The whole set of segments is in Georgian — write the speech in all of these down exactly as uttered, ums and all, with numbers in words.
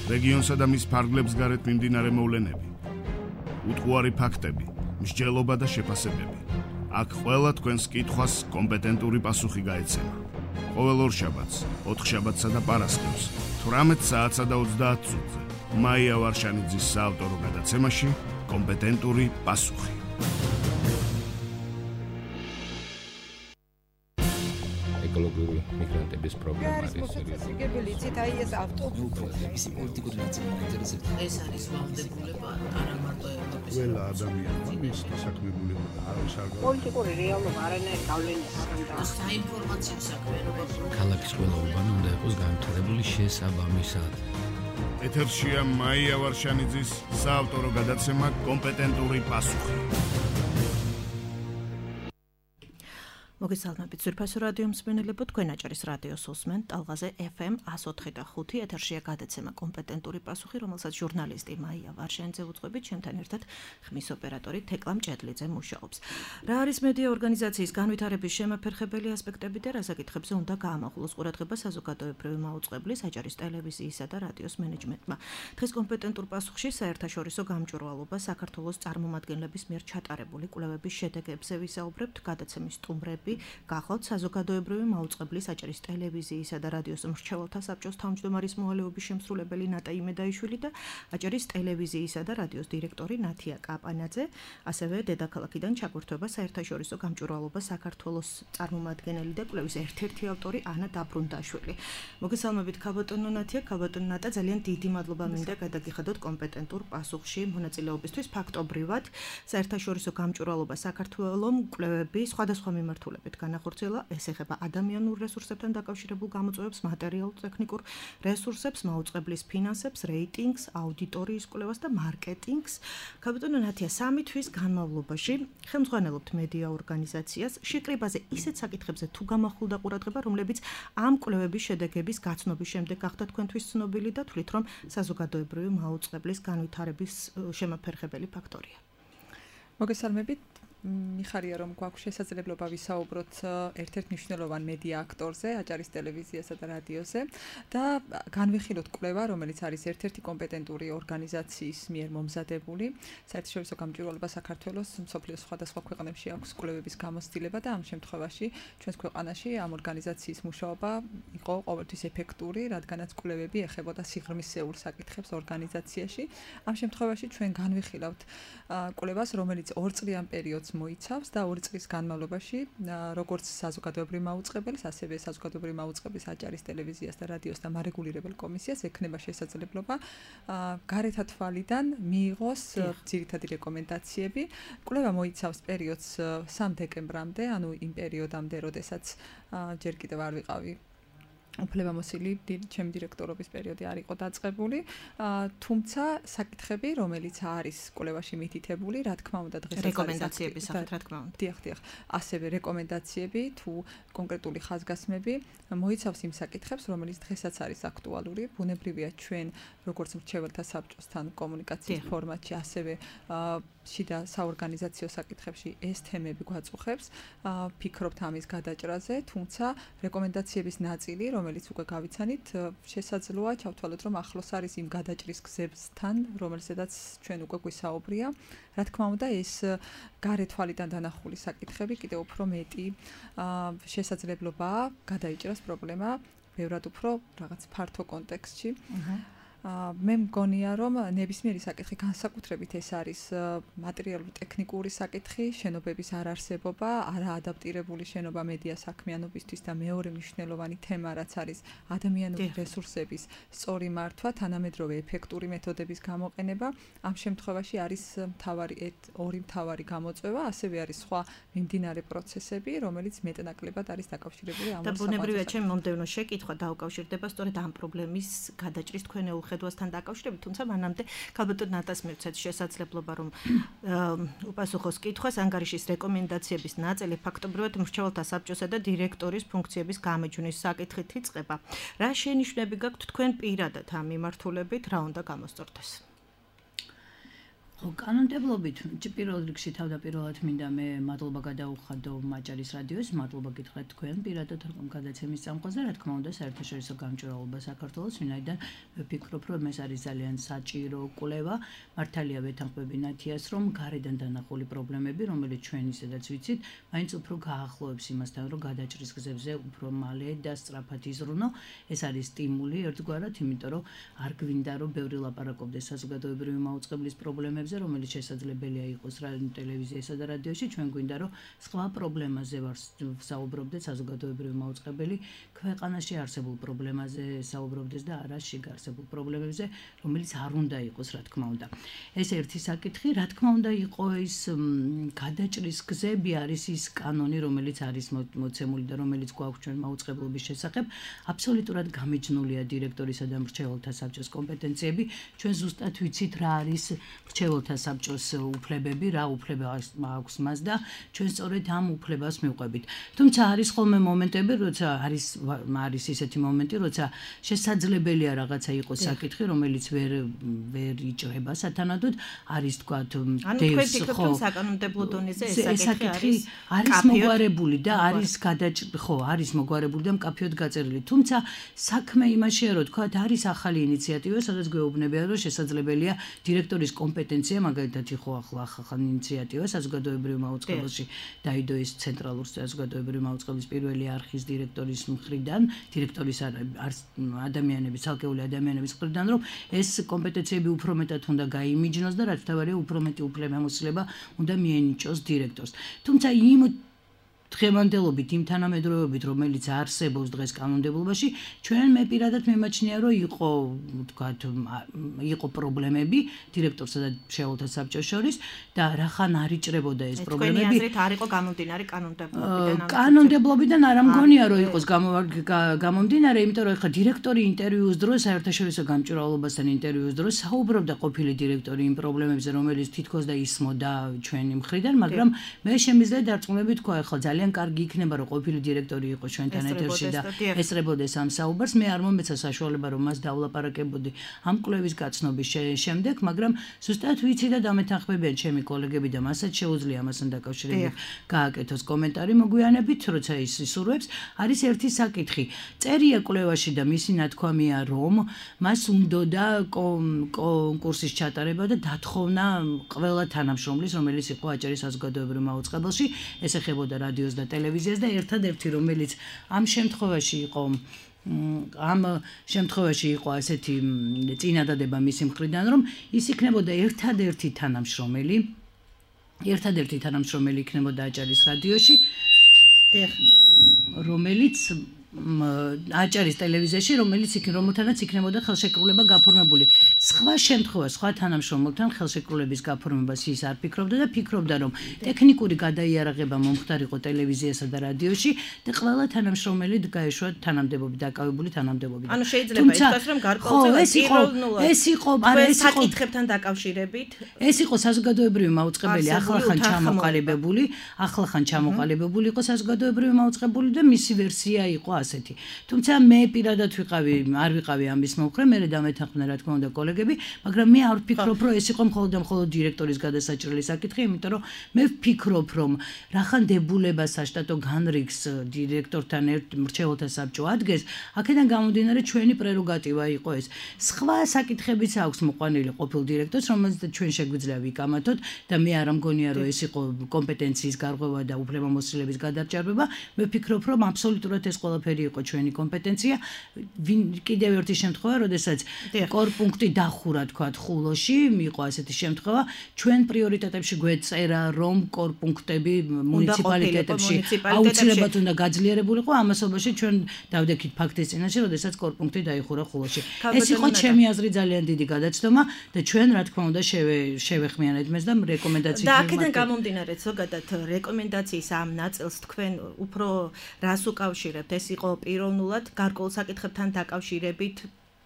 რეგიონსა და მის ფარგლებს გარეთ მიმდინარე მოვლენები, უტყუარი ფაქტები, მსჯელობა და შეფასებები. აქ ყველა თქვენს კითხვას კომპეტენტური პასუხი გაეცემა. ყოველ ორშაბათს, ოთხშაბათსა და პარასკევს, თვრამეტ საათსა და ოცდაათ წუთზე, მაია ვარშანიძის საავტორო გადაცემაში კომპეტენტური პასუხი. ეკოლოგიური მიგრანტების პრობლემა არის მოსაცილებელი იცით აი ეს ავტობუსი ისი პოლიტიკური ნაწილი მაინტერესებს ეს არის ვალდებულება არა მარტო ევროპის ყველა ადამიანმა მის დასაქმებულება და არავის არ გავა პოლიტიკური რეალობა არანაირი გავლენა არ აქვს საინფორმაციო საქმიანობა ქალაქის ყველა უბანი უნდა იყოს განვითარებული შესაბამისად. ეთერშია მაია ვარშანიძის საავტორო გადაცემა კომპეტენტური პასუხი. მოგესალმებით ძვირფასო რადიო მსმენელებო, თქვენ აჭარის რადიოს უსმენთ ტალღაზე ეფ ემ one oh three point five ეთერშია გადაცემა კომპეტენტური პასუხი, რომელსაც ჟურნალისტი მაია ვარშანიძე უძღვებით, ჩემთან ერთად ხმის ოპერატორი თეკლა მჭედლიძე მუშაობს. რა არის მედია ორგანიზაციის განვითარების შემაფერხებელი ასპექტები და რა საკითხებზე უნდა გაამახვილოს ყურადღება საზოგადოებრივი მაუწყებლის, აჭარის ტელევიზიისა და რადიოს მენეჯმენტმა. დღეს კომპეტენტურ პასუხში საერთაშორისო გამჭვირვალობა საქართველოს წარმომადგენლების მიერ ჩატარებული კვლევების შედეგებზე ვისაუბრებთ. გადაცემის სტუმრები გახავთ საზოგადოებრივი მაუწყებლის, აჭარის ტელევიზიისა და რადიოს მრჩეველთა საბჭოს თავმჯდომარის მოვალეობის შემსრულებელი ნატა იმედაიშვილი და აჭარის ტელევიზიისა და რადიოს დირექტორი ნათია კაპანაძე, ასევე დედაქალაქიდან ჩაგვირთვება საერთაშორისო გამჭვირვალობა საქართველოს წარმომადგენელი და კვლევის ერთ-ერთი ავტორი ანა დაბრუნდაშვილი. მოგესალმებით ქალბატონო ნათია, ქალბატონო ნატა, ძალიან დიდი მადლობა მინდა გადაგიხადოთ კომპეტენტურ პასუხში მონაწილეობისთვის. ფაქტობრივად საერთაშორისო გამჭვირვალობა საქართველოს კვლევები სხვადასხვა მიმართულებით განახორციელა, ეს ეხება ადამიანურ რესურსებთან დაკავშირებულ გამოწვევებს, მატერიალურ-ტექნიკურ რესურსებს, მაუწყებლის ფინანსებს, რეიტინგს, აუდიტორიის კვლევას და მარკეტინგს. ქალბატონო ნათია, სამი თვის განმავლობაში ხელმძღვანელობთ მედია ორგანიზაციას. შეკრებაზე ისეთ საკითხებზე თუ გამახვილდა ყურადღება, რომლებიც ამ კვლევების შედეგების გაცნობის შემდეგ გახდა თქვენთვის ცნობილი და თვლით, რომ საზოგადოებრივი მაუწყებლის განვითარების შემაფერხებელი ფაქტორია. მოგესალმებით. მიხარია რომ გვაქვს შესაძლებლობა ვისაუბროთ ერთ-ერთ მნიშვნელოვან მედია აქტორზე, აჭარის ტელევიზიასა და რადიოზე და განვიხილოთ კვლევა, რომელიც არის ერთ-ერთი კომპეტენტური ორგანიზაციის მიერ მომზადებული. საერთაშორისო გამჭვირვალობა საქართველოს მსოფლიოს სხვადასხვა ქვეყნებში აქვს კვლევების გამოცდილება და ამ შემთხვევაში ჩვენს ქვეყანაში ამ ორგანიზაციის მუშაობა იყო ყოველთვის ეფექტური, რადგანაც კვლევები ეხებოდა სიღრმისეულ საკითხებს ორგანიზაციაში. ამ შემთხვევაში ჩვენ განვიხილავთ კვლევას, რომელიც ორწლიან პერიოდს მოიცავს და ორი წლის განმავლობაში როგორც საზოგადოებრივი მაუწყებლის, ასევე საზოგადოებრივი მაუწყებლის აჭარის ტელევიზიას და რადიოს და მარეგულირებელ კომისიას ექნება შესაძლებლობა გარეთა თვალიდან მიიღოს ძირითადი რეკომენდაციები. კვლევა მოიცავს პერიოდს სამ დეკემბრამდე, ანუ იმ პერიოდამდე, როდესაც ჯერ კიდევ არ ვიყავი უფლებამოსილი ჩემი დირექტორობის პერიოდი არ იყო დაწყებული, თუმცა საკითხები, რომელიც არის კვლევაში მითითებული, რა თქმა უნდა დღესაც რეკომენდაციების სახით, რა თქმა უნდა. დიახ, დიახ. ასევე რეკომენდაციები თუ კონკრეტული ხაზგასმები მოიცავს იმ საკითხებს, რომელიც დღესაც არის აქტუალური. ბუნებრივია ჩვენ როგორც მრჩეველთა საბჭოსთან კომუნიკაციის ფორმატში, ასევე შიდა საორგანიზაციო საკითხებში ეს თემები გვაწუხებს. ფიქრობთ ამის გადაჭრაზე, თუმცა რეკომენდაციების ნაწილი, რომელიც უკვე გავიცანით, შესაძლოა ჩავთვალოთ, რომ ახლოს არის იმ გადაჭრის გზებთან, რომელზედაც ჩვენ უკვე გვისაუბრია. რა თქმა უნდა, ეს გარე თვალიდან დანახული საკითხები კიდევ უფრო მეტი შესაძლებლობაა გადაიჭრას პრობლემა ბევრად უფრო რაღაც ფართო კონტექსტში. მე მგონია, რომ ნებისმიერი საკითხი განსაკუთრებით ეს არის მატერიალურ-ტექნიკური საკითხი, შენობების არარსებობა, არაადაპტირებული შენობა მედია საქმიანობისთვის და მეორე მნიშვნელოვანი თემა, რაც არის ადამიანური რესურსების სწორი მართვა, თანამედროვე ეფექტური მეთოდების გამოყენება. ამ შემთხვევაში არის მთავარი ორი მთავარი გამოწვევა, ასევე არის სხვა მიმდინარე პროცესები, რომელიც მეტნაკლებად არის დაკავშირებული ამ ორ და ბუნებრივია, ჩემი მომდევნო შეკითხვა დაუკავშირდება სწორედ ამ პრობლემის გადაჭრის თქვენეულ ხედვასთან დაკავშირებით, თუმცა მანამდე ქალბატონ ნატას მივცეთ შესაძლებლობა, რომ უპასუხოს კითხვას. ანგარიშის რეკომენდაციების ნაწილი ფაქტობრივად მრჩეველთა საბჭოსა და დირექტორის ფუნქციების გამეჯვნის საკითხით იწყება. რა შენიშვნები გაქვთ თქვენ პირადად ამ მიმართულებით, რა უნდა გამოსწორდეს? ხო, კანონმდებლობით პირველ რიგში თავდაპირველად მინდა მე მადლობა გადაუხადო მაჭარის რადიოს, მადლობა გითხრათ თქვენ პირადად რომ გადაცემის წამყვანზე, რა თქმა უნდა, საერთაშორისო გამჭვირვალობა საქართველოს, ვინაიდან ვფიქრობ, რომ ეს არის ძალიან საჭირო კვლევა, მართალია ვეთანხმები ნათიას, რომ გარედან დანახული პრობლემები, რომელიც ჩვენ ისედაც ვიცით, მაინც უფრო გაახლოებს იმასთან, რომ გადაჭრის გზებზე უფრო მალე და სწრაფად იზრუნო. ეს არის სტიმული ერთგვარად, იმიტომ რომ არ გვინდა რომ ბევრი ლაპარაკობდეს საზოგადოებრივი მაუწყებლის პრობლემებზე, რომელიც შესაძლებელია იყოს ტელევიზიასა და რადიოში, ჩვენ გვინდა რომ სხვა პრობლემაზე ვსაუბრობდეთ საზოგადოებრივი მაუწყებელი, ქვეყანაში არსებულ პრობლემაზე საუბრობდეს და არა შიგ არსებულ პრობლემებზე, რომელიც არ უნდა იყოს, რა თქმა უნდა. ეს ერთი საკითხი, რა თქმა უნდა, იყო ის გადაჭრის გზები არის ის კანონი, რომელიც არის მოცემული და რომელიც გვაქვს ჩვენ მაუწყებლობის შესახებ, აბსოლუტურად გამიჯნულია დირექტორისა და მრჩეველთა საბჭოს კომპეტენციები, ჩვენ ზუსტად ვიცით რა არის მრჩეველთა საბჭოს უფლებები, რა უფლება აქვს მას და ჩვენ სწორედ ამ უფლებას მივყვებით. თუმცა არის ხოლმე მომენტები, როცა არის არის ისეთი მომენტი, როცა შესაძლებელია რაღაცა იყოს საკითხი, რომელიც ვერ ვერ იჭრება სათანადოდ, არის თქვა დევს ხო საკანონმდებლო დონეზე ეს საკითხი არის მოგვარებული და არის გადაჭრილი, ხო, არის მოგვარებული და მკაფიოდ გაწერილი. თუმცა საქმე იმაშია, რომ თქვა არის ახალი ინიციატივა, სადაც გვეუბნებიან, რომ შესაძლებელია დირექტორის კომპეტენცია, მაგალითად იყო ახლა ახალი ინიციატივა საზოგადოებრივ მაუწყებელში დაიდო ის ცენტრალურ საზოგადოებრივ მაუწყებლის პირველი არხის დირექტორის მხრიდან, დირექტორის ადამიანების, ცალკეული ადამიანების მხრიდან, რომ ეს კომპეტენციები უფრო მეტად უნდა გაიმიჯნოს და რაც თავარია უფრო მეტი უფლებამოსილება უნდა მიენიჭოს დირექტორს. თუმცა იმ დღევანდელობით იმ თანამედროვეობით, რომელიც არსებობს დღეს კანონმდებლობაში, ჩვენ მე პირადად მიმაჩნია, რომ იყო, ვთქვათ, იყო პრობლემები დირექტორსა და მრჩეველთა საბჭოს შორის და რახან არ იჭრებოდა ეს პრობლემები. თქვენი აზრით არ იყო გამომდინარე კანონმდებლობიდან? კანონმდებლობიდან არ ამგონია, რომ იყოს გამომდინარე, იმიტომ რომ ხა დირექტორი ინტერვიუს დროს, საერთაშორისო გამჭვირვალობასთან ინტერვიუს დროს საუბრობდა ყოფილი დირექტორი იმ პრობლემებზე, რომელიც თითქოს და ისმოდა ჩვენი მხრიდან, მაგრამ მე შემიძლია დარწმუნებით თქვა, ხო, ძალიან ძალიან კარგი იქნება რომ ყოფილი დირექტორი იყოს ჩვენთან ეთერში და ესწრებოდეს ამ საუბარს. მე არ მომეცა საშუალება რომ მას დავლაპარაკებოდი ამ კვლევის გაცნობის შემდეგ, მაგრამ ზუსტად ვიცი და დამეთანხმებიან ჩემი კოლეგები და მასაც შეუძლია ამასთან დაკავშირებით გააკეთოს კომენტარი მოგვიანებით, როცა ის ისურვებს. არის ერთი საკითხი. წერია კვლევაში და მისი ნათქვამია, რომ მას უნდოდა კონკურსის ჩატარება და დათხოვნა ყველა თანამშრომლის, რომელიც იყო აჭარის საზოგადოებრივ მაუწყებელში, ეს ეხებოდა რადიო და ტელევიზიას და ერთადერთი რომელიც ამ შემთხვევაში იყო ამ შემთხვევაში იყო ასეთი წინადადება მისი მხრიდან, რომ ის იქნებოდა ერთადერთი თანამშრომელი ერთადერთი თანამშრომელი იქნებოდა აჭარის რადიოში, რომელიც აჭარის ტელევიზიაში, რომელიც იქ რომელთანაც იქნებოდა ხელშეკრულება გაფორმებული. სხვა შემთხვევა, სხვა თანამშრომელთან ხელშეკრულების გაფორმებას ის არ ფიქრობდა და ფიქრობდა, რომ ტექნიკური გადაიარაღება მომხდარიყო ტელევიზიასა და რადიოში და ყველა თანამშრომელი გაეშვა თანამდებობით, დაკავებული თანამდებობით. ანუ შეიძლება ითქვას, რომ გარკვეულწილად პიროვნულად ეს იყო, არა ეს იყო საკითხებთან დაკავშირებით. ეს იყო საზოგადოებრივი მაუწყებელი, ახლახან ჩამოყალიბებული, ახლახან ჩამოყალიბებული იყო საზოგადოებრივი მაუწყებელი და მისი ვერსია იყო ასეთი. თუმცა მე პირადად ვიყავი, არ ვიყავი ამის მომხრე, მე დამეთანხმდა რა თქმა უნდა კოლეგები, მაგრამ მე არ ვფიქრობ, რომ ეს იყო მხოლოდ და მხოლოდ დირექტორის გადასაჭრელი საკითხი, იმიტომ რომ მე ვფიქრობ, რომ რახან დებულება საშტატო განრიგს დირექტორთან ერთ მრჩეველთა საბჭო ადგეს, აქედან გამომდინარე ჩვენი პრეროგატივა იყო ეს. სხვა საკითხებიც აქვს მოყვანილი ყოფილ დირექტორს, რომელზეც ჩვენ შეგვიძლია ვიკამათოთ და მე არ ამგონია, რომ ეს იყო კომპეტენციის გარღვევა და უფლებამოსილების გადაჭარბება. მე ვფიქრობ, რომ აბსოლუტურად ეს ყველაფერი იყო ჩვენი კომპეტენცია. კიდევ ერთი შემთხვევა, როდესაც კორპუნქტი დახურა, თქვათ, ხულოში, იყო ასეთი შემთხვევა, ჩვენ პრიორიტეტებში გვეწერა, რომ კორპუნქტები მუნიციპალიტეტებში აუცილებლად უნდა გაძლიერებულიყო, ამასობაში ჩვენ დავდექით ფაქტის წინაშე, როდესაც კორპუნქტი დაიხურა ხულოში. ეს იყო ჩემი აზრით ძალიან დიდი გადაცდომა და ჩვენ რა თქმა უნდა შევეხმიანეთ მეს და რეკომენდაციით და აქედან გამომდინარე, ზოგადად რეკომენდაციის ამ ნაწილს თქვენ უფრო რას უკავშირებთ? ეს იყო პიროვნულად გარკვეულ საკითხებთან დაკავშირებით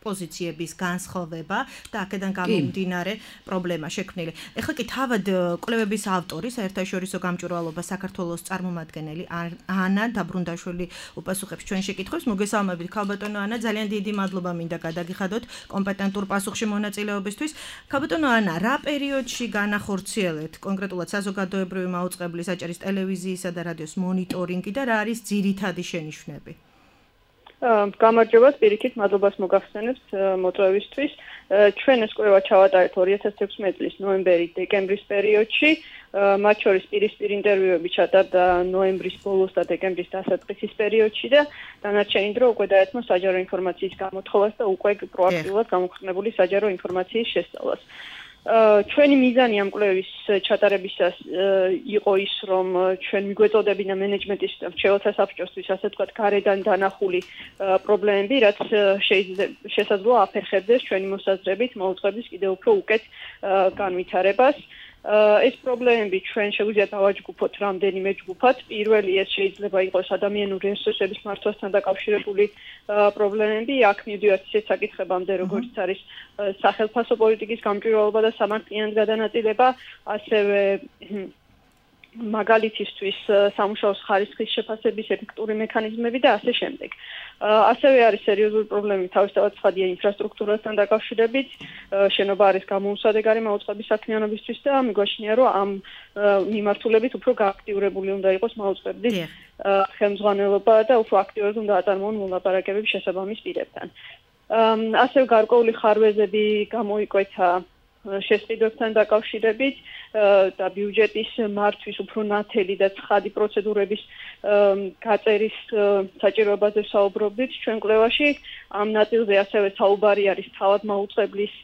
პოზიციების განსხვავება და აქედან გამომდინარე პრობლემა შექმნილი. ეხლა კი თავად კვლევების ავტორი, საერთაშორისო გამჭვირვალობა საქართველოს წარმომადგენელი ანა დაბრუნდაშვილი უპასუხებს ჩვენ შეკითხვებს. მოგესალმებით, ქალბატონო ანა, ძალიან დიდი მადლობა მინდა გადაგიხადოთ კომპეტენტურ პასუხში მონაწილეობისთვის. ქალბატონო ანა, რა პერიოდში განახორციელეთ კონკრეტულად საზოგადოებრივი მაუწყებლის აჭარის ტელევიზიისა და რადიოს მონიტორინგი და რა არის ძირითადი შენიშვნები? გამარჯობა, პირიქით მადლობას მოგახსენებთ მოწვევისთვის. ჩვენ ეს კვლევა ჩავატარეთ ორი ათას თექვსმეტი წლის ნოემბერი-დეკემბრის პერიოდში. მათ შორის პირისპირ ინტერვიუები ჩატარდა ნოემბრის ბოლოს და დეკემბრის დასაწყისის პერიოდში და დანარჩენი დრო უკვე დაეთმო საჯარო ინფორმაციის გამოთხოვას და უკვე პროაქტიულად გამოქვეყნებული საჯარო ინფორმაციის შესწავლას. ჩვენი მიზანი ამ კვლევის ჩატარებისას იყო ის, რომ ჩვენ მიგვეწოდებინა მენეჯმენტის მრჩეველთა საბჭოსთვის, ასე ვთქვათ, გარედან დანახული პრობლემები, რაც შესაძლოა აფერხებდეს ჩვენი მოსაზრებით მაუწყებლის კიდევ უფრო უკეთ განვითარებას. ეს პრობლემები ჩვენ შეგვიძლია დავაჯგუფოთ რამდენიმე ჯგუფად. პირველი ეს შეიძლება იყოს ადამიანური რესურსების მართვასთან დაკავშირებული პრობლემები. აქ მივდივართ ისეთ საკითხებამდე, როგორც არის სახელმწიფო პოლიტიკის გამჭვირვალობა და სამართლიანი გადანაწილება, ასევე მაგალითისთვის სამუშაოს ხარისხის შეფასების ეფექტური მექანიზმები და ასე შემდეგ. ასევე არის სერიოზული პრობლემები თავისთავად ცხადია ინფრასტრუქტურასთან დაკავშირებით. შენობა არის გამოუსადეგარი მაუწყების საქმიანობისთვის და მიგვაჩნია, რომ ამ მიმართულებით უფრო გააქტიურებული უნდა იყოს მაუწყებლის ხელმძღვანელობა და უფრო აქტიურად უნდა აწარმოონ მოლაპარაკებები შესაბამის პირებთან. ასევე გარკვეული ხარვეზები გამოიკვეთა შესყიდვებთან დაკავშირებით და ბიუჯეტის მართვის უფრო ნათელი და ცხადი პროცედურების გაწერის საჭიროებაზე საუბრობდით ჩვენ კვლევაში. ამ ნაწილზე ასევე საუბარი არის თავად მაუწყებლის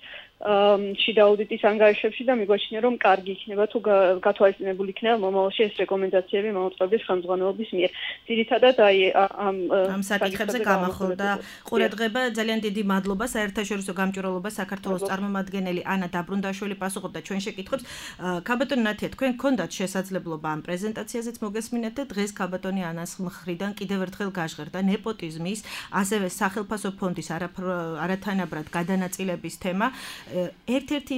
შიდა აუდიტის ანგარიშებში და მიგვაჩნია, რომ კარგი იქნება თუ გათვალისწინებული იქნება მომავალში ეს რეკომენდაციები მაუწყებლის ხელმძღვანელობის მიერ. ძირითადად აი ამ ამ საკითხებზე გამახვილდა ყურადღება. ძალიან დიდი მადლობა საერთაშორისო გამჭვირვალობა საქართველოს წარმომადგენელი ანა დაბრუნდაშვილი პასუხობდა ჩვენ შეკითხვებს. ქალბატონი ნათია, თქვენ გქონდათ შესაძლებლობა ამ პრეზენტაციაზეც მოგესმინეთ და დღეს ქალბატონი ანას მხრიდან კიდევ ერთხელ გაჟღერდა ნეპოტიზმის, ასევე სახელმწიფო ფონდის არათანაბრად გადანაწილების თემა. ერთ-ერთი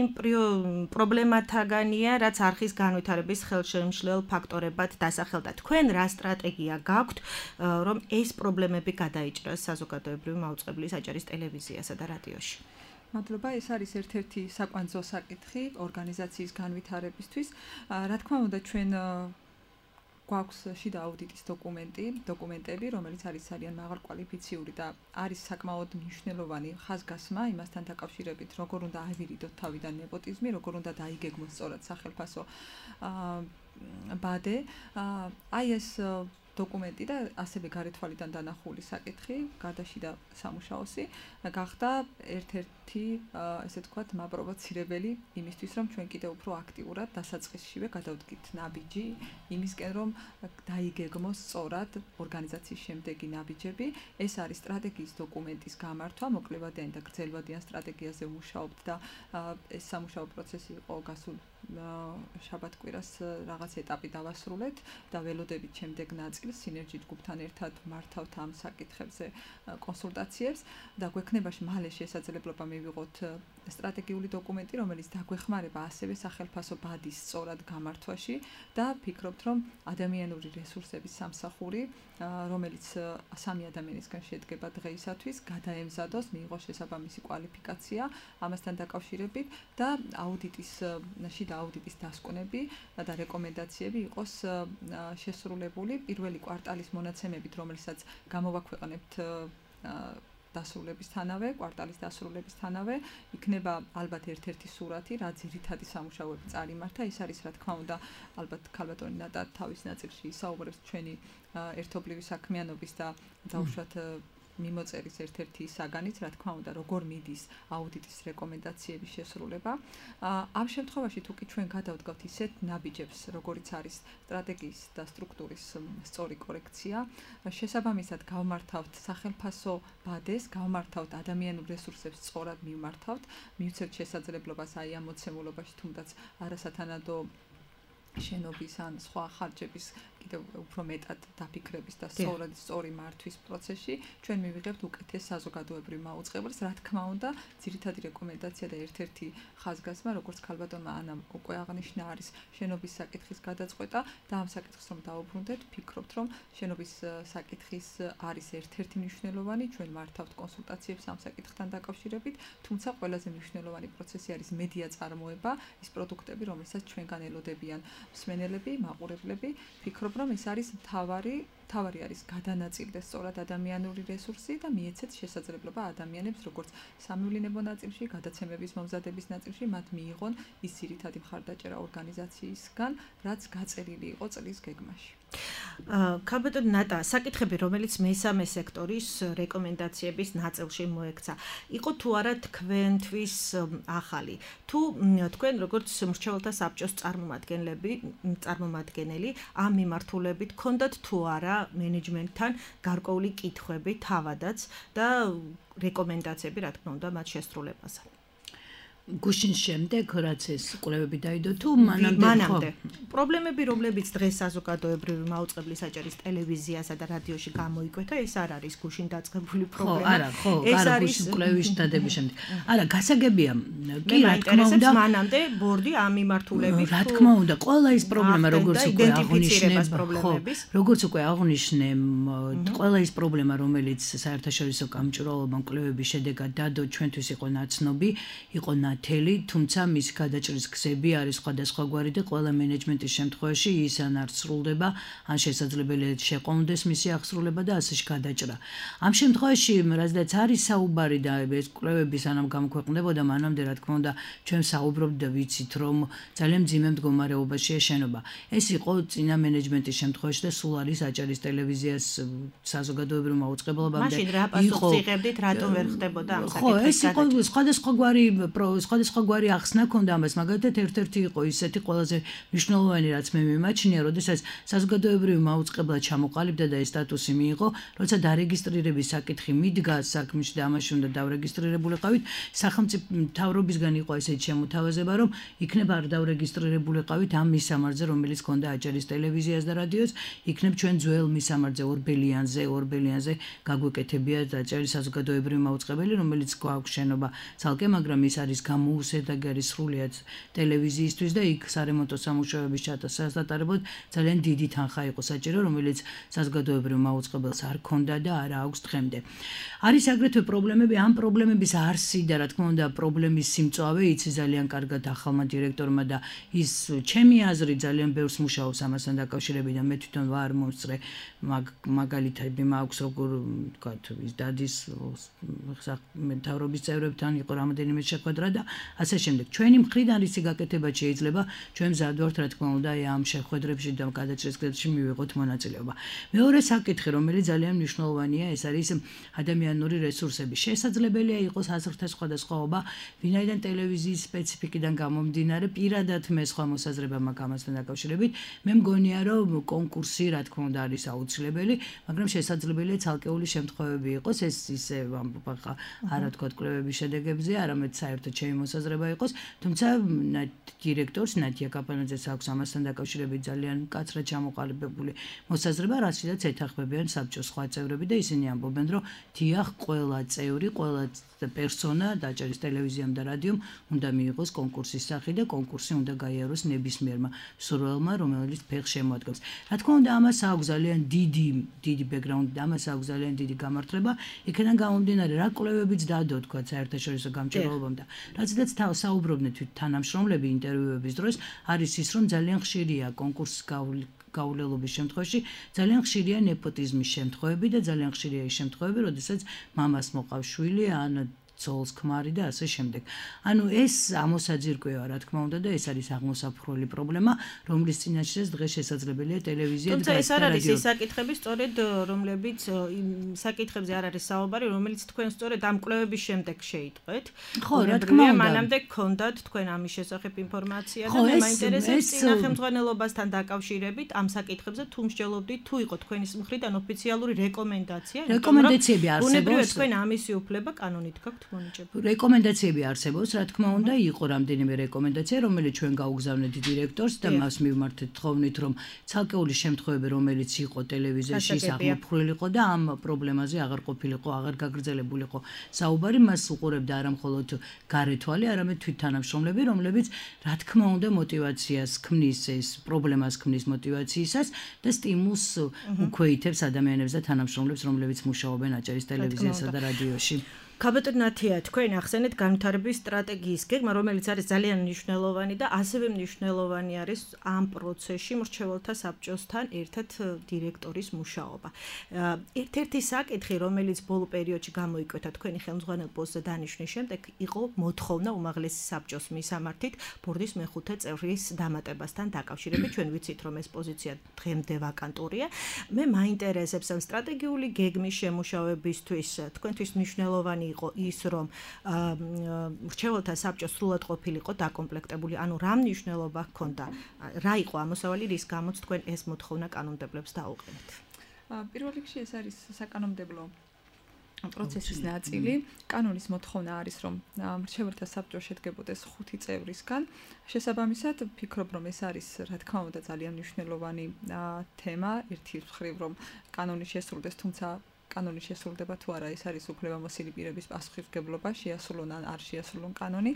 პრობლემათაგანია, რაც არხის განვითარების ხელშემშლელ ფაქტორებად დასახელდა. თქვენ რა სტრატეგია გაქვთ, რომ ეს პრობლემები გადაიჭრას საზოგადოებრივი მაუწყებლის აჭარის ტელევიზიასა და რადიოში? მადლობა, ეს არის ერთ-ერთი საკვანძო საკითხი ორგანიზაციის განვითარებისთვის. რა თქმა უნდა, ჩვენ გვაქვს შიდა აუდიტის დოკუმენტი, დოკუმენტები, რომელიც არის ძალიან მაღალკვალიფიციური და არის საკმაოდ მნიშვნელოვანი ხაზგასმა იმასთან დაკავშირებით, როგორ უნდა ავირიდოთ თავიდან ნეპოტიზმი, როგორ უნდა დაიგეგმოს სწორად სახელმწიფო ბადე. აი ეს დოკუმენტი და ასევე გარეთვალიდან დანახული საკითხი, გარდაშიდა სამუშაოსი, გახდა ერთ-ერთი, ესე ვთქვათ, მაპროვოცირებელი იმისთვის, რომ ჩვენ კიდევ უფრო აქტიურად დასაწყისშივე გადავდგით ნაბიჯი იმისკენ, რომ დაიგეგმოს სწორად ორგანიზაციის შემდეგი ნაბიჯები. ეს არის სტრატეგიის დოკუმენტის გამართვა, მოკლევადიანი და გრძელვადიან სტრატეგიაზე ვმუშაობთ და ეს სამუშაო პროცესი იყო გასულ შაბათ-კვირას რაღაც ეტაპი დავასრულეთ და ველოდებით შემდეგ ნაწილს სინერგი ჯგუფთან ერთად მართავთ ამ საკითხებზე კონსულტაციებს და გვექნება მალე შესაძლებლობა მივიღოთ სტრატეგიული დოკუმენტი, რომელიც დაგვეხმარება ასევე სახელმწიფო ბადის სწორად გამართვაში და ფიქრობთ, რომ ადამიანური რესურსების სამსახური, რომელიც სამი ადამიანისგან შედგება დღეისათვის, გადაემზადოს, მიიღოს შესაბამისი კვალიფიკაცია ამასთან დაკავშირებით და აუდიტის შიდა აუდიტის დასკვნები და რეკომენდაციები იყოს შესრულებული პირველი კვარტალის მონაცემებით, რომელსაც გამოვაქვეყნებთ დასრულებისთანავე, კვარტალის დასრულებისთანავე, იქნება ალბათ ერთ-ერთი სურათი, რა ძირითადი სამუშაოები წარიმართა. ეს არის, რა თქმა უნდა, ალბათ ქალბატონი ნატა თავის ნაწილში ისაუბრებს ჩვენი ერთობლივი საქმიანობის და დაუშვათ მიმოწერის ერთ-ერთი საგანიც, რა თქმა უნდა, როგორ მიდის აუდიტის რეკომენდაციების შესრულება. ამ შემთხვევაში თუ კი ჩვენ გადავდგავთ ისეთ ნაბიჯებს, როგორიც არის სტრატეგიის და სტრუქტურის სწორი კორექცია, შესაბამისად გავმართავთ სახელმწიფო ბადეს, გავმართავთ ადამიანურ რესურსებს სწორად მივმართავთ, მივცეთ შესაძლებლობას აი ამ მოცემულობაში თუნდაც არასათანადო შენობის ან სხვა ხარჯების კიდევ უფრო მეტად დაფიქრების და სწორად სწორი მართვის პროცესში ჩვენ მივიღებთ უკეთეს საზოგადოებრივ მაუწყებელს. რა თქმა უნდა, ძირითადი რეკომენდაცია და ერთ-ერთი ხაზგასმა, როგორც ქალბატონმა ანამ უკვე აღნიშნა, არის შენობის საკითხის გადაწყვეტა და ამ საკითხს რომ დავუბრუნდეთ, ფიქრობთ, რომ შენობის საკითხის არის ერთ-ერთი მნიშვნელოვანი, ჩვენ მართავთ კონსულტაციებს ამ საკითხთან დაკავშირებით, თუმცა ყველაზე მნიშვნელოვანი პროცესი არის მედია წარმოება, ის პროდუქტები, რომელსაც ჩვენგან ელოდებიან მსმენელები, მაყურებლები. ფიქრობ, რომ ეს არის მთავარი თავარი არის გადანაწილდეს სწორად ადამიანური რესურსი და მიეცეთ შესაძლებლობა ადამიანებს როგორც სამევლინებო ნაწილში, გადაცემების მომზადების ნაწილში მათ მიიღონ ის ძირითადი მხარდაჭერა ორგანიზაციისგან, რაც გაწერილი იყო წლის გეგმაში. ქალბატონ ნატა, საკითხები, რომელიც მესამე სექტორის რეკომენდაციების ნაწილში მოექცა, იყო თუ არა თქვენთვის ახალი. თუ თქვენ როგორც მრჩეველთა საბჭოს წარმომადგენლები, წარმომადგენელი ამ მიმართულებით გქონდათ თუ არა მენეჯმენტთან გარკვეული კითხვები თავადაც და რეკომენდაციები, რა თქმა უნდა, მათ შესრულებაზე. გუშინ შემდეგ რაც ეს კვლევები დაიდო თუ მანამდე პრობლემები რომლებიც დღეს საზოგადოებრივი მაუწყებლის საჭირის ტელევიზიასა და რადიოში გამოიკვეთა ეს არ არის გუშინ დაწყებული პრობლემა. ხო, არა, ხო, ეს არის კვლევის დადების შემდეგ. არა, გასაგებია, კი რა თქმა უნდა, მანამდე ბორდი ამ მიმართულებით რა თქმა უნდა, ყველა ის პრობლემა როგორც უკვე აღნიშნე, ხო, როგორც უკვე აღნიშნე, ყველა ის პრობლემა რომელიც საერთაშორისო გამჭვირვალობამ კვლევების შედეგად დადო ჩვენთვის იყო ნაცნობი, იყო თელი, თუმცა მის გადაჭრის გზები არის სხვადასხვაგვარი და ყველა მენეჯმენტის შემთხვევაში ის ან არ სრულდება, ან შესაძლებელია შეყოვნდეს მისი აღსრულება და ასე გადაჭრა. ამ შემთხვევაში, რადგან არის საუბარი და ეს კვლევები სანამ გამოქვეყნდებოდა, მანამდე რა თქმა უნდა, ჩვენ საუბრობთ და ვიცით, რომ ძალიან მძიმე მდგომარეობაშია შენობა. ეს იყო წინა მენეჯმენტის შემთხვევაში და სულ არის აჭარის ტელევიზიას საზოგადოებრივ მაუწყებლობამდე. მაშინ რა პასუხს იღებდით, რატომ ვერ ხდებოდა ამ საკითხის გადაჭრა? ხო, ეს იყო სხვადასხვაგვარი სხვადასხვაგვარი ახსნა ქონდა ამას, მაგალითად ერთ-ერთი იყო ისეთი ყველაზე მნიშვნელოვანი, რაც მე მიმაჩნია, როდესაც საზოგადოებრივი მაუწყებლა ჩამოყალიბდა და ეს სტატუსი მიიღო, როცა დარეგისტრირების საკითხი მიდგა საქმეში და ამაში უნდა დავრეგისტრირებულიყავით, სახელმწიფო მთავრობისგან იყო ესეთი შემოთავაზება, რომ იქნებ არ დავრეგისტრირებულიყავით ამ მისამართზე, რომელიც ქონდა აჭარის ტელევიზიას და რადიოს, იქნებ ჩვენ ძველ მისამართზე ორბელიანზე, ორბელიანზე გაგვეკეთებია აჭარის საზოგადოებრივი მაუწყებელი, რომელიც გვაქვს შენობა ცალკე, მაგრამ ის არის გამოუსედაგი არის სრულიად ტელევიზიისთვის და იქ სარემონტო სამუშაოების ჩატარებად ძალიან დიდი თანხა იყო საჭირო, რომელიც საზოგადოებრივ მაუწყებელს არ ქონდა და არ აქვს დღემდე. არის აგრეთვე პრობლემები, ამ პრობლემების არსი და რა თქმა უნდა პრობლემის სიმწვავე იცი ძალიან კარგად ახალმა დირექტორმა და ის ჩემი აზრით ძალიან ბევრს მუშაობს ამასთან დაკავშირებით და მე თვითონ ვარ მომსწრე მაგალითები მაქვს როგორ ვთქვათ ის დადის მთავრობის წევრებთან იყო რამოდენიმე შეხვედრა და ასე შემდეგ. ჩვენი მხრიდან რისი გაკეთება შეიძლება, ჩვენ მზად ვართ რა თქმა უნდა ამ შეხვედრებში და გადაჭრის გზებში მივიღოთ მონაწილეობა. მეორე საკითხი, რომელიც ძალიან მნიშვნელოვანია, ეს არის ადამიანური რესურსები. შესაძლებელია იყოს აზრთა სხვადასხვაობა, ვინაიდან ტელევიზიის სპეციფიკიდან გამომდინარე, პირადად მე სხვა მოსაზრება მაქვს ამასთან დაკავშირებით. მე მგონია, რომ კონკურსი რა თქმა უნდა არის აუცილებელი, მაგრამ შესაძლებელია ცალკეული შემთხვევები იყოს, ეს ისე ამბობ არა თქვა კვლევების შედეგებზე, არამედ საერთოდ ჩემი მოსაზრება იყოს, თუმცა დირექტორს ნატია კაპანაძეს აქვს ამასთან დაკავშირებით ძალიან მკაცრად ჩამოყალიბებული მოსაზრება, რასაც ეთანხმებიან საბჭოს სხვა წევრები და ისინი ამბობენ, რომ დიახ, ყველა წევრი, ყველა პერსონა აჭარის ტელევიზიამ და რადიომ უნდა მიიღოს კონკურსის სახე და კონკურსი უნდა გაიაროს ნებისმიერმა მსურველმა, რომელიც ფეხს შემოადგენს. რა თქმა უნდა, ამას აქვს ძალიან დიდი, დიდი ბექგრაუნდი და ამას აქვს ძალიან დიდი გამართლება. იქიდან გამომდინარე, რა კვლევებიც დადო, თქვა საერთაშორისო გამჭვირვალობამ და რაცაც საუბრობდნენ თანამშრომლები ინტერვიუების დროს, არის ის, რომ ძალიან ხშირია კონკურსის გაულელობის შემთხვევაში, ძალიან ხშირია ნეპოტიზმის შემთხვევები და ძალიან ხშირია ის შემთხვევები, როდესაც მამას მოყავს შვილი ან ცოლს ქმარი და ასე შემდეგ. ანუ ეს ამოსაძირკვევა, რა თქმა უნდა და ეს არის აღმოსაფრული პრობლემა, რომლის წინაშეც დღეს შესაძლებელია ტელევიზია და თუმცა ეს არ არის ის საკითხები, სწორედ რომლებიც საკითხებზე არ არის საუბარი, რომელიც თქვენ სწორედ ამ კვლევების შემდეგ შეიტყვეთ. ხო, რა თქმა უნდა. მანამდე გქონდათ თქვენ ამის შესახებ ინფორმაცია და მე მაინტერესებს წინა ხელმძღვანელობასთან დაკავშირებით ამ საკითხებზე თუ მსჯელობდით, თუ იყო თქვენის მხრიდან ოფიციალური რეკომენდაცია, რეკომენდაციები არსებობს. ბუნებრივია თქვენ ამისი უფლება კანონით გაქვთ. რეკომენდაციები არსებობს, რა თქმა უნდა, იყო რამდენიმე რეკომენდაცია, რომელიც ჩვენ გაუგზავნეთ დირექტორს და მას მივმართეთ თხოვნით, რომ ცალკეული შემთხვევები, რომელიც იყო ტელევიზიაში აღმოფხვრილიყო და ამ პრობლემაზე აღარ ყოფილიყო, აღარ გაგრძელებულიყო საუბარი, მას უყურებდა არა მხოლოდ გარეთვალი, არამედ თვითთანამშრომლები, რომლებიც რა თქმა უნდა мотивაციას ქმნის ეს პრობლემას ქმნის мотивაციისას და სტიმულს უქვეითებს ადამიანებს და თანამშრომლებს, რომლებიც მუშაობენ აჭარის ტელევიზიასა და რადიოში. ქაბატონათია, თქვენ ახსენეთ განვითარების სტრატეგიის გეგმა, რომელიც არის ძალიან მნიშვნელოვანი და ასევე მნიშვნელოვანი არის ამ პროცესში მრჩეველთა საბჭოსთან ერთად დირექტორის მუშაობა. ერთ-ერთი საკითხი, რომელიც ბოლო პერიოდში გამოიკვეთა თქვენი ხელმძღვანელ პოსტზე დანიშნვის შემდეგ, იყო მოთხოვნა უმაღლესი საბჭოს მისამართით ბორდის მეხუთე წევრის დამატებასთან დაკავშირებით. ჩვენ ვიცით, რომ ეს პოზიცია დღემდე ვაკანტურია. მე მაინტერესებს ამ სტრატეგიული გეგმის შემუშავებისთვის თქვენთვის მნიშვნელოვანი იყო ის, რომ მრჩეველთა საბჭო სრულად ყოფილიყო დაკომპლექტებული, ანუ რა მნიშვნელობა ჰქონდა, რა იყო ამოსავალი, რის გამოც თქვენ ეს მოთხოვნა კანონმდებლებს დაუყენეთ? პირველ რიგში ეს არის საკანონმდებლო პროცესის ნაწილი. კანონის მოთხოვნა არის, რომ მრჩეველთა საბჭო შედგებოდეს ხუთი წევრისგან. შესაბამისად, ვფიქრობ, რომ ეს არის, რა თქმა უნდა, ძალიან მნიშვნელოვანი თემა. ერთი მხრივ, რომ კანონი შესრულდეს, თუმცა კანონი შესრულდება თუ არა, ეს არის უფლებამოსილი პირების პასუხისმგებლობა, შეასრულონ ან არ შეასრულონ კანონი.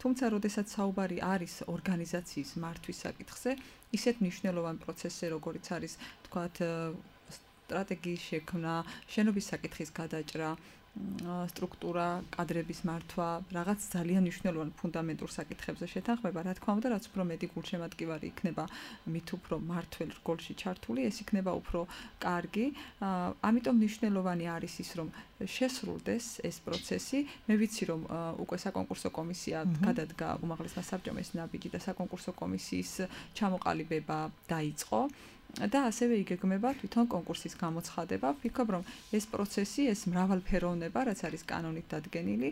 თუმცა, როდესაც საუბარი არის ორგანიზაციის მართვის საკითხზე, ისეთ მნიშვნელოვან პროცესზე, როგორიც არის, თქვათ, სტრატეგიის შექმნა, შენობის საკითხის გადაჭრა, სტრუქტურა, კადრების მართვა, რაღაც ძალიან მნიშვნელოვან ფუნდამენტურ საკითხებზე შეთანხმება, რა თქმა უნდა, რაც უფრო მეტი გულშემატკივარი იქნება, მით უფრო მართველ რგოლში ჩართული, ეს იქნება უფრო კარგი. ამიტომ მნიშვნელოვანი არის ის, რომ შესრულდეს ეს პროცესი. მე ვიცი, რომ უკვე საკონკურსო კომისია გადადგა უმაღლესმა საბჭომ ეს ნაბიჯი და საკონკურსო კომისიის ჩამოყალიბება დაიწყო. და ასევე იგეგმება თვითონ კონკურსის გამოცხადება. ვფიქრობ, რომ ეს პროცესი, ეს მრავალფეროვნება, რაც არის კანონით დადგენილი,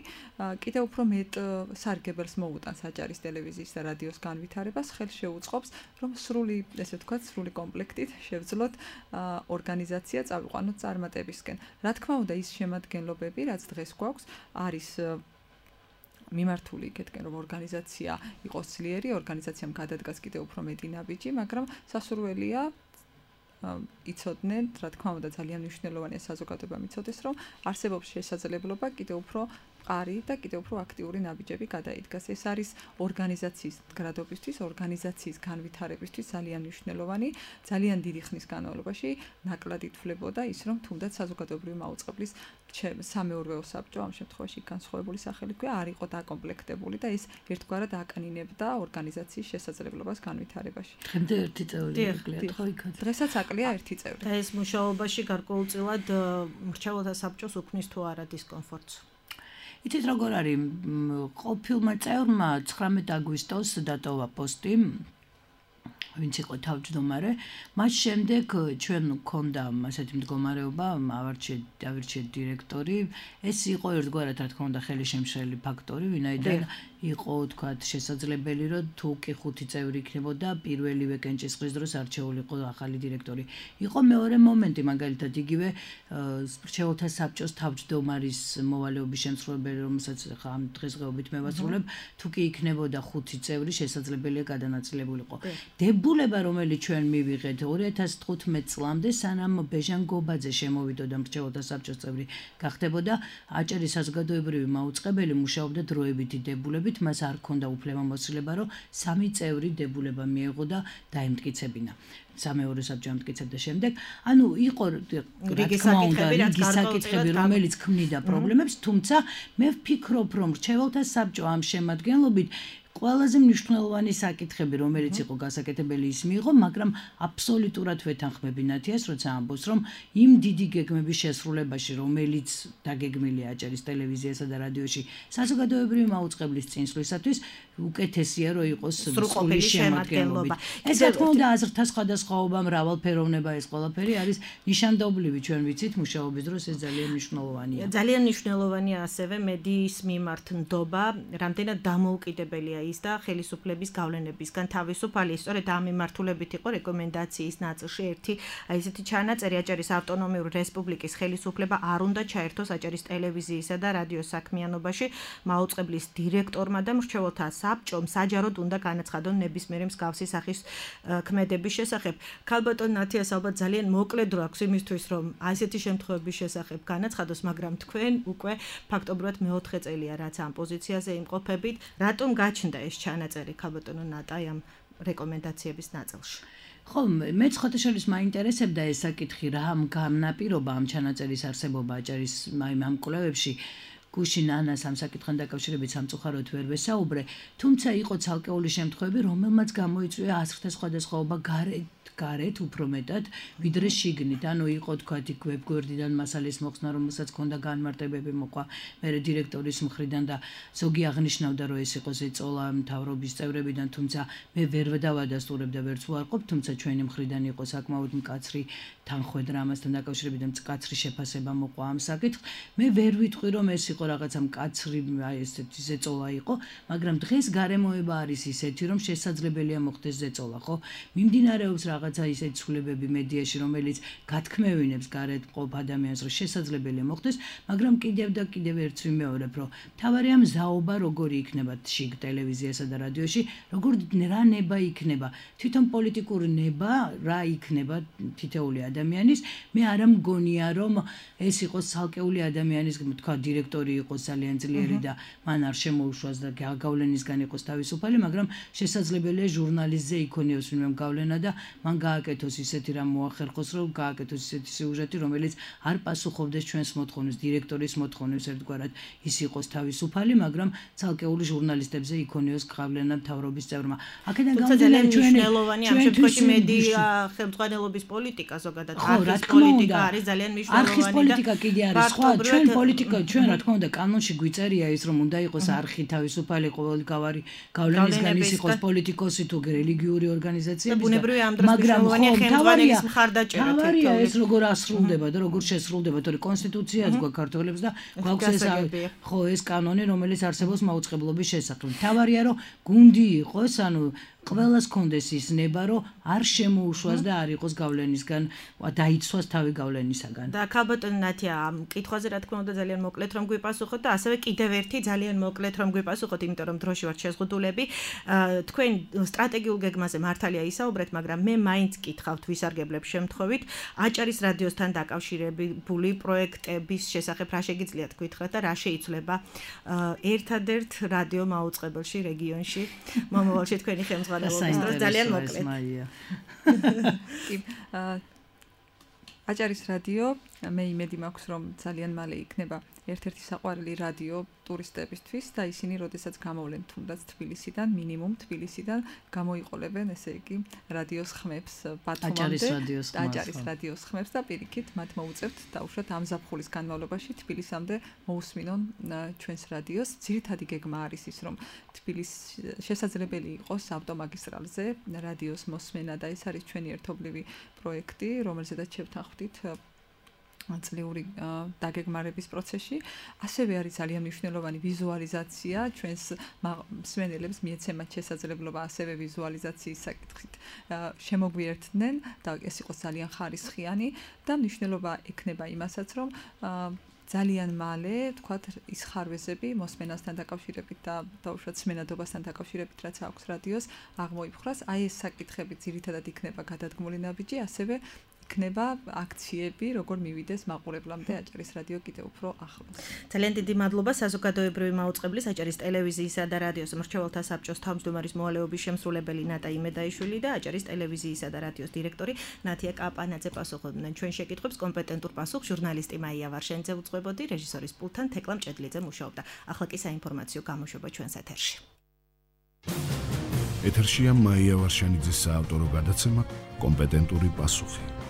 კიდევ უფრო მეტ სარგებელს მოუტანს აჭარის ტელევიზიის და რადიოს განვითარებას, ხელს შეუწყობს, რომ სრული, ესე ვთქვათ, სრული კომპლექტით შევძლოთ ორგანიზაცია წავიყვანოთ წარმატებისკენ. რა თქმა უნდა, ის შემადგენლობები, რაც დღეს გვაქვს, არის მიმართული იქეთკენ, რომ ორგანიზაცია იყოს ძლიერი, ორგანიზაციამ გადადგას კიდევ უფრო მეტი ნაბიჯი, მაგრამ სასურველია იცოდნენ, რა თქმა უნდა, ძალიან მნიშვნელოვანია საზოგადოებამ იცოდეს, რომ არსებობს შესაძლებლობა კიდევ უფრო მყარი და კიდევ უფრო აქტიური ნაბიჯები გადაიდგას. ეს არის ორგანიზაციის მდგრადობისთვის, ორგანიზაციის განვითარებისთვის ძალიან მნიშვნელოვანი, ძალიან დიდი ხნის განმავლობაში ნაკლად ითვლებოდა ის, რომ თუნდაც საზოგადოებრივი მაუწყებლის სამეურვეო საბჭო, ამ შემთხვევაში განსხვავებული სახელი ქვია, არ იყო დაკომპლექტებული და ეს ერთგვარად აკანინებდა ორგანიზაციის შესაძლებლობას განვითარებაში. დღემდე ერთი წევრი აკლია, ხო იქ? დღესაც აკლია ერთი წევრი. და ეს მუშაობაში გარკვეულწილად მრჩეველთა საბჭოს უქმნის თუ არა დისკომფორტს? იცით როგორ არის, ყოფილმა წევრმა ცხრამეტ აგვისტოს დატოვა პოსტი, ვინც იყო თავმჯდომარე, მას შემდეგ ჩვენ გქონდა ასეთი მდგომარეობა, ავარჩიეთ ავირჩიეთ დირექტორი, ეს იყო ერთგვარად, რა თქმა უნდა, ხელშემშლელი ფაქტორი, ვინაიდან იყო, თქვათ, შესაძლებელი, რომ თუ კი ხუთი წევრი იქნებოდა, პირველივე კენჭისყრის დროს არჩეულიყო ახალი დირექტორი. იყო მეორე მომენტი, მაგალითად, იგივე მრჩეველთა საბჭოს თავმჯდომარის მოვალეობის შემსრულებელი, რომელსაც ხა ამ დღესდღეობით მევასრულებ, თუ კი იქნებოდა ხუთი წევრი, შესაძლებელია გადანაწილებულიყო. დებულება, რომელიც ჩვენ მივიღეთ ორი ათას თხუთმეტ წლამდე, სანამ ბეჟან გობაძე შემოვიდოდა მრჩეველთა საბჭოს წევრი, გახდებოდა აჭარის საზოგადოებრივი მაუწყებელი, მუშაობდა დროებითი დებულებით, მას არ ჰქონდა უფლებამოსილება, რომ სამი წევრი დებულება მიეღო და დაემტკიცებინა. სამეურვეო საბჭო ამტკიცებდა შემდეგ. ანუ იყო რიგი საკითხები, რომელიც ქმნიდა პრობლემებს, თუმცა მე ვფიქრობ, რომ მრჩეველთა საბჭო ამ შემადგენლობით ყველაზე მნიშვნელოვანი საკითხები, რომელიც იყო გასაკეთებელი, ის მიიღო, მაგრამ აბსოლუტურად ვეთანხმები ნათიას, როცა ამბობს, რომ იმ დიდი გეგმების შესრულებაში, რომელიც დაგეგმილია აჭარის ტელევიზიასა და რადიოში, საზოგადოებრივი მაუწყებლის წინსვლისათვის უკეთესია, რომ იყოს სრული შემადგენლობა. ეს რა თქმა უნდა, აზრთა სხვადასხვაობა, მრავალფეროვნება, ეს ყველაფერი არის ნიშანდობლივი, ჩვენ ვიცით, მუშაობის დროს ეს ძალიან მნიშვნელოვანია. ძალიან მნიშვნელოვანია ასევე მედიის მიმართ ნდობა, რამდენად დამოუკიდებელია ის და ხელისუფლების გავლენებისგან თავისუფალი. სწორედ ამ მიმართულებით იყო რეკომენდაციის ნაწილში ერთი აი ესეთი ჩანაწერი აჭარის ავტონომიური რესპუბლიკის ხელისუფლება არ უნდა ჩაერთოს აჭარის ტელევიზიისა და რადიოს საქმიანობაში. მაუწყებლის დირექტორმა და მრჩეველთა საბჭომ საჯაროდ უნდა განაცხადონ ნებისმიერი მსგავსი სახის ქმედების შესახებ. ქალბატონ ნათიას ალბათ ძალიან მოკლედ რო აქვს იმისთვის რომ ასეთი შემთხვევების შესახებ განაცხადოს, მაგრამ თქვენ უკვე ფაქტობრივად მეოთხე წელია რაც ამ პოზიციაზე იმყოფებით. რატომ გაჩნდა ეს ჩანაწერი ქალბატონო ნატაი ამ რეკომენდაციების ნაწილში? ხო, მეც ხოთაშორის მაინტერესებდა ეს საკითხი, რა განაპირობა ამ ჩანაწერის არსებობა აჭარის ამ კვლევებში. გუშინ ანას ამ საკითხთან დაკავშირებით სამწუხაროდ ვერ ვესაუბრე, თუმცა იყო ცალკეული შემთხვევები, რომელმაც გამოიწვია აზრთა სხვადასხვაობა გარეთ გარეთ უფრო მეტად ვიდრე შიგნით. ანუ იყო თქვა იქ ვებგვერდიდან მასალის მოხსნა, რომელსაც ჰქონდა განმარტებები მოყვა მერე დირექტორის მხრიდან და ზოგი აღნიშნავდა, რომ ეს იყო ზეწოლა მთავრობის წევრებიდან, თუმცა მე ვერ დავადასტურებ და ვერც ვარყოფ, თუმცა ჩვენი მხრიდან იყო საკმაოდ მკაცრი თანხმედრა ამასთან დაკავშირებით და მკაცრი შეფასება მოყვა ამ საკითხს. მე ვერ ვიტყვი, რომ ეს იყო რაღაცა მკაცრი აი ესეთი ზეწოლა იყო, მაგრამ დღეს გარემოება არის ისეთი, რომ შესაძლებელია მოხდეს ზეწოლა, ხო? მიმდინარეობს რაღაცა ისეთი ცვლილებები მედიაში, რომელიც გათქმევინებს გარეთ მყოფ ადამიანს, რომ შესაძლებელია მოხდეს, მაგრამ კიდევ და კიდევ ერთს ვიმეორებ, რომ თავარი ამ ზაობა როგორი იქნება შიგ ტელევიზიასა და რადიოში, როგორ რა ნება იქნება, თვითონ პოლიტიკური ნება რა იქნება თითოეული ადამიანის. მე არ მგონია, რომ ეს იყოს ცალკეული ადამიანის, თქვა დირექტორი იყოს ძალიან ძლიერი და მან არ შემოუშვას და გავლენისგან იყოს თავისუფალი, მაგრამ შესაძლებელია ჟურნალისტზე იქონიოს ვინმე გავლენა და მან გააკეთოს ისეთი რამ მოახერხოს, რომ გააკეთოს ისეთი სიუჟეტი, რომელიც არ პასუხობდეს ჩვენს მოთხოვნებს, დირექტორის მოთხოვნებს, ერთგვარად ის იყოს თავისუფალი, მაგრამ ცალკეული ჟურნალისტებზე იქონიოს გავლენა მთავრობის წევრმა. აქედან გამომდინარე ჩვენი მნიშვნელოვანი ამ შემთხვევაში მედია ხელმძღვანელობის პოლიტიკა ზოგადად არხის პოლიტიკა არის ძალიან მნიშვნელოვანი. არხის პოლიტიკა კიდე არის სხვა, ჩვენ პოლიტიკა ჩვენ რა თქმა უნდა კანონში გვიწერია ის, რომ უნდა იყოს არხი თავისუფალი, ყოველგვარი გავლენისგან ის იყოს პოლიტიკოსი თუ რელიგიური ორგანიზაციები. მაგრამ ხელმძღვანელის მხარდაჭერა თავარია ეს როგორ ასრულდება და როგორ შესრულდება, თორე კონსტიტუციაც გვაქვს ქართველებს და გვაქვს ეს ხო ეს კანონი, რომელიც არსებობს მაუწყებლობის შესახებ. თავარია რომ გუნდი იყოს, ანუ ყველას კონდეს ის ნება, რომ არ შემოუშვას და არ იყოს გავლენისგან, დაიცვას თავი გავლენისაგან. და ქალბატონო ნათია, ამ კითხვაზე რა თქმა უნდა ძალიან მოკლედ რომ გვიპასუხოთ და ასევე კიდევ ერთი ძალიან მოკლედ რომ გვიპასუხოთ, იმიტომ რომ დროში ვართ შეზღუდულები. თქვენ სტრატეგიულ გეგმაზე მართალია ისაუბრეთ, მაგრამ მე მაინც კითხავთ ვისარგებლებ შემთხვევით აჭარის რადიოსთან დაკავშირებული პროექტების შესახებ რა შეგიძლიათ გითხრათ და რა შეიცვლება ერთადერთ რადიო მაუწყებელში რეგიონში მომავალში თქვენი ხელმძღვანელობის დროს ძალიან მოკლედ. კი, აჭარის რადიო მე იმედი მაქვს რომ ძალიან მალე იქნება ერთ-ერთი საყვარელი რადიო ტურისტებისთვის და ისინი როდესაც გამოვლენ თუნდაც თბილისიდან, მინიმუმ თბილისიდან გამოიყოლებენ, ესე იგი, რადიოს ხმებს ბათუმამდე, აჭარის რადიოს ხმებს და პირიქით მათ მოუწევთ დაუშვათ ამ ზაფხულის განმავლობაში თბილისამდე მოусმინონ ჩვენს რადიოს. ძირითადი გეგმა არის ის, რომ თბილისში შესაძლებელი იყოს ავტომაგისტრალზე რადიოს მოსმენა და ეს არის ჩვენი ერთობლივი პროექტი, რომელზედაც შევთანხმდით წლიური დაგეგმარების პროცესში. ასევე არის ძალიან მნიშვნელოვანი ვიზუალიზაცია, ჩვენს მსმენელებს მიეცემათ შესაძლებლობა ასევე ვიზუალიზაციის საკითხით შემოგვიერთდნენ და ეს იყოს ძალიან ხარისხიანი და მნიშვნელობა ექნება იმასაც, რომ ძალიან მალე, თქვათ, ის ხარვეზები მოსმენასთან დაკავშირებით და დაუშვათ სმენადობასთან დაკავშირებით, რაც აქვს რადიოს, აღმოიფხვრას. აი ეს საკითხები ძირითადად იქნება გადადგმული ნაბიჯი, ასევე იქნება აქციები, როგორ მივიდეს მაყურებლამდე აჭარის რადიო კიდევ უფრო ახლოს. ძალიან დიდი მადლობა საზოგადოებრივი მაუწყებლის აჭარის ტელევიზიისა და რადიოს მრჩეველთა საბჭოს თავმჯდომარის მოვალეობის შემსრულებელი ნატა იმედაიშვილი და აჭარის ტელევიზიისა და რადიოს დირექტორი ნათია კაპანაძე პასუხობდნენ ჩვენ შეკითხვებს. კომპეტენტურ პასუხს ჟურნალისტი მაია ვარშენიძე უძღვებოდი, რეჟისორის პულტთან თეკლა მჭედლიძე მუშაობდა. ახლა კი საინფორმაციო გამოშვება ჩვენს ეთერში. ეთერშია მაია ვარშენიძის საავტორო გადაცემა კომპეტენტური პასუხი.